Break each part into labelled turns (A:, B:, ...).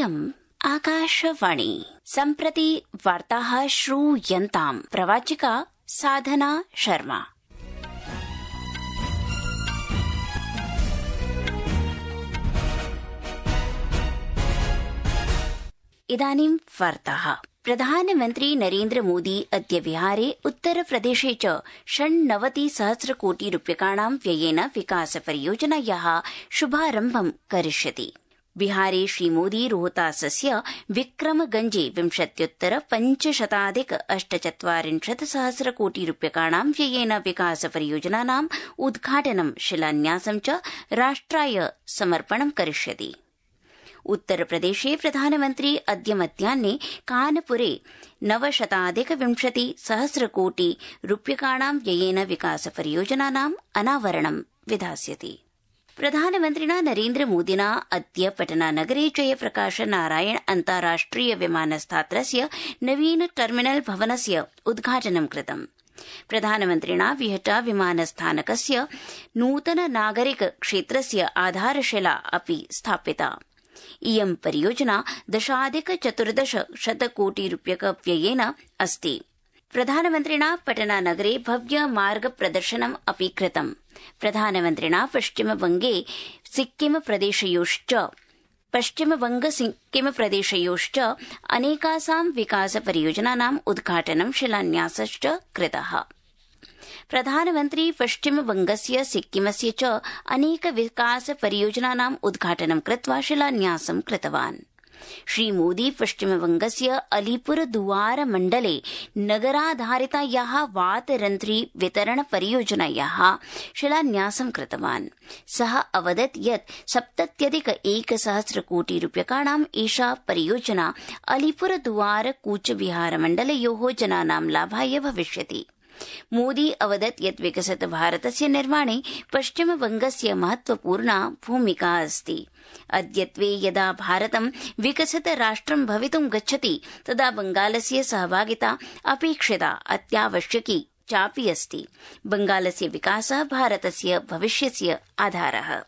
A: इयम् आकाशवाणी सम्प्रति वार्ताः श्रूयन्ताम्। प्रवाचिका साधना शर्मा। इदानीं वार्ताः। प्रधानमन्त्री नरेन्द्र मोदी अद्य बिहारे उत्तरप्रदेशे च 96 कोटि रूप्यकाणां व्ययेन विकासपरियोजनायाः शुभारम्भं करिष्यति। बिहारे श्रीमोदी रोहतासस्य विक्रमगंजे विंशत्युत्तर-548 कोटि रूप्यकाणां व्ययेन विकासपरियोजनानाम् उद्घाटनं शिलान्यासं च राष्ट्राय समर्पणं करिष्यति। उत्तरप्रदेशे प्रधानमन्त्री अद्य मध्याह्ने कानपुरे 920 कोटि रूप्यकाणां व्ययेन विकासपरियोजनानाम् अनावरणं विधास्यति। प्रधानमन्त्रिणा नरेन्द्र मोदिना अद्य पटनानगरे जयप्रकाश नारायण अन्ताराष्ट्रिय विमानस्थात्रस्य नवीन टर्मिनल भवनस्य उद्घाटनं कृतम्। प्रधानमन्त्रिणा विहटा विमानस्थानकस्य नूतन नागरिक क्षेत्रस्य आधारशिला अपि स्थापिता। इयं परियोजना 10,14 कोटि रूप्यक व्ययेन अस्ति। प्रधानमन्त्रिणा पटनानगरे भव्य मार्ग प्रदर्शनम् अपि कृतम्। प्रधानमन्त्रिणा पश्चिमबंग सिक्किम प्रदेशयोश्च अनेकासां विकास परियोजनानाम् उद्घाटनं शिलान्यासश्च कृतः। प्रधानमन्त्री पश्चिमबंगस्य सिक्किमस्य च अनेक विकास परियोजनानाम् उद्घाटनं कृत्वा शिलान्यासं कृतवान्। श्रीमोदी पश्चिमबंगस्य अलीपुरदुआर मण्डले नगराधारितायाः वातरन्ध्री वितरण परियोजनायाः शिलान्यासं कृतवान्। सः अवदत् यत् 70,100 कोटि रूप्यकाणाम् एषा परियोजना अलीपुरदुआर कूचबिहार मण्डलयोः जनानां लाभाय भविष्यति। मोदी अवदत् यत् विकसित भारतस्य निर्माणे पश्चिमबंगस्य महत्वपूर्णा भूमिका अस्ति। अद्यत्वे यदा भारतं विकसित राष्ट्रं भवितुं गच्छति तदा बंगालस्य सहभागिता अपेक्षिता अत्यावश्यकी चापि अस्ति। बंगालस्य विकासः भारतस्य भविष्यस्य आधारः।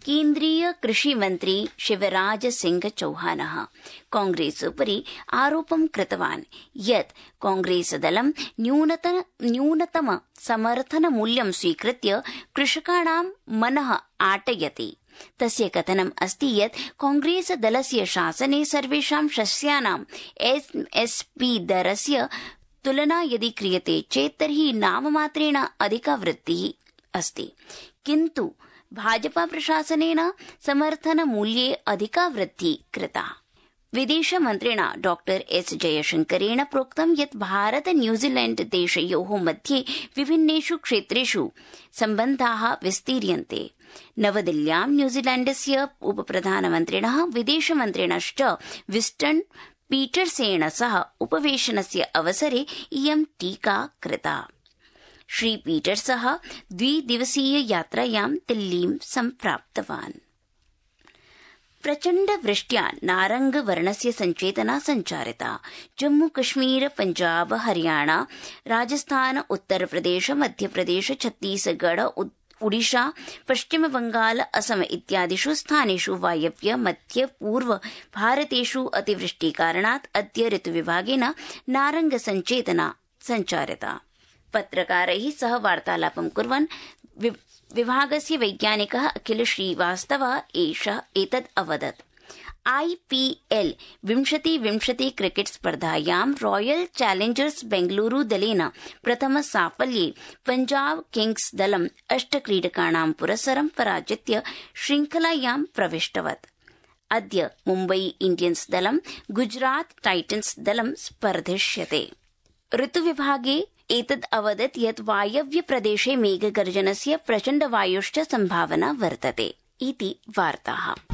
A: केन्द्रीय कृषि मन्त्री शिवराज सिंह चौहानः कांग्रेसोपरि आरोपं कृतवान् यत् कांग्रेसदलं न्यूनतम समर्थन मूल्यं स्वीकृत्य कृषकाणां मनः आटयति। तस्य कथनम् अस्ति यत् कांग्रेसदलस्य शासने सर्वेषां शस्यानां एमएसपी दरस्य तुलना यदि क्रियते चेत् तर्हि नाममात्रेण अधिका वृद्धिः अस्ति, किन्तु भाजपा प्रशासनेन समर्थन मूल्ये अधिका वृद्धि कृता। विदेशमन्त्रिणा डॉ एस जयशंकरेण प्रोक्तं यत् भारत न्यूजीलैण्ड देशयोः मध्ये विभिन्नेषु क्षेत्रेषु सम्बन्धाः विस्तीर्यन्ते। नवदिल्ल्यां न्यूजीलैण्डस्य उपप्रधानमन्त्रिणः विदेशमन्त्रिणश्च विस्टन पीटरसेन सह उपवेशनस्य अवसरे इयं टीका कृता। श्री पीटर्सः 2 दिवसीय यात्रायां दिल्लीं सम्प्राप्तवान्। प्रचण्ड वृष्ट्या नारंग वर्णस्य संचेतना संचारिता। जम्मू कश्मीर, पंजाब, हरियाणा, राजस्थान, उत्तरप्रदेश, मध्यप्रदेश, छत्तीसगढ़, ओडिशा, पश्चिम बंगाल, असम इत्यादिषु स्थानेषु वायव्य मध्य पूर्व भारतेषु अतिवृष्टिकारणात् अद्य ऋतुविभागेन नारंग संचेतना संचारिता। पत्रकारैः सह वार्तालापं कुर्वन् विभागस्य वैज्ञानिकः अखिल श्रीवास्तवः एतत् अवदत्। IPL 2020 क्रिकेट स्पर्धायां रॉयल चैलेंजर्स बेंगलुरु दलेन प्रथम साफल्ये पंजाब किंग्स दलं 8 क्रीडकाणां पुरस्सरं पराजित्य श्रृंखलायां प्रविष्टवत्। अद्य मुम्बई इंडियन्स दलं गुजरात टाइटन्स दलं स्पर्धिष्यते। ऋतुविभागे एतद् अवदत् यत् वायव्य प्रदेशे मेघगर्जनस्य प्रचण्ड वायोश्च सम्भावना वर्तते इति वार्ताः।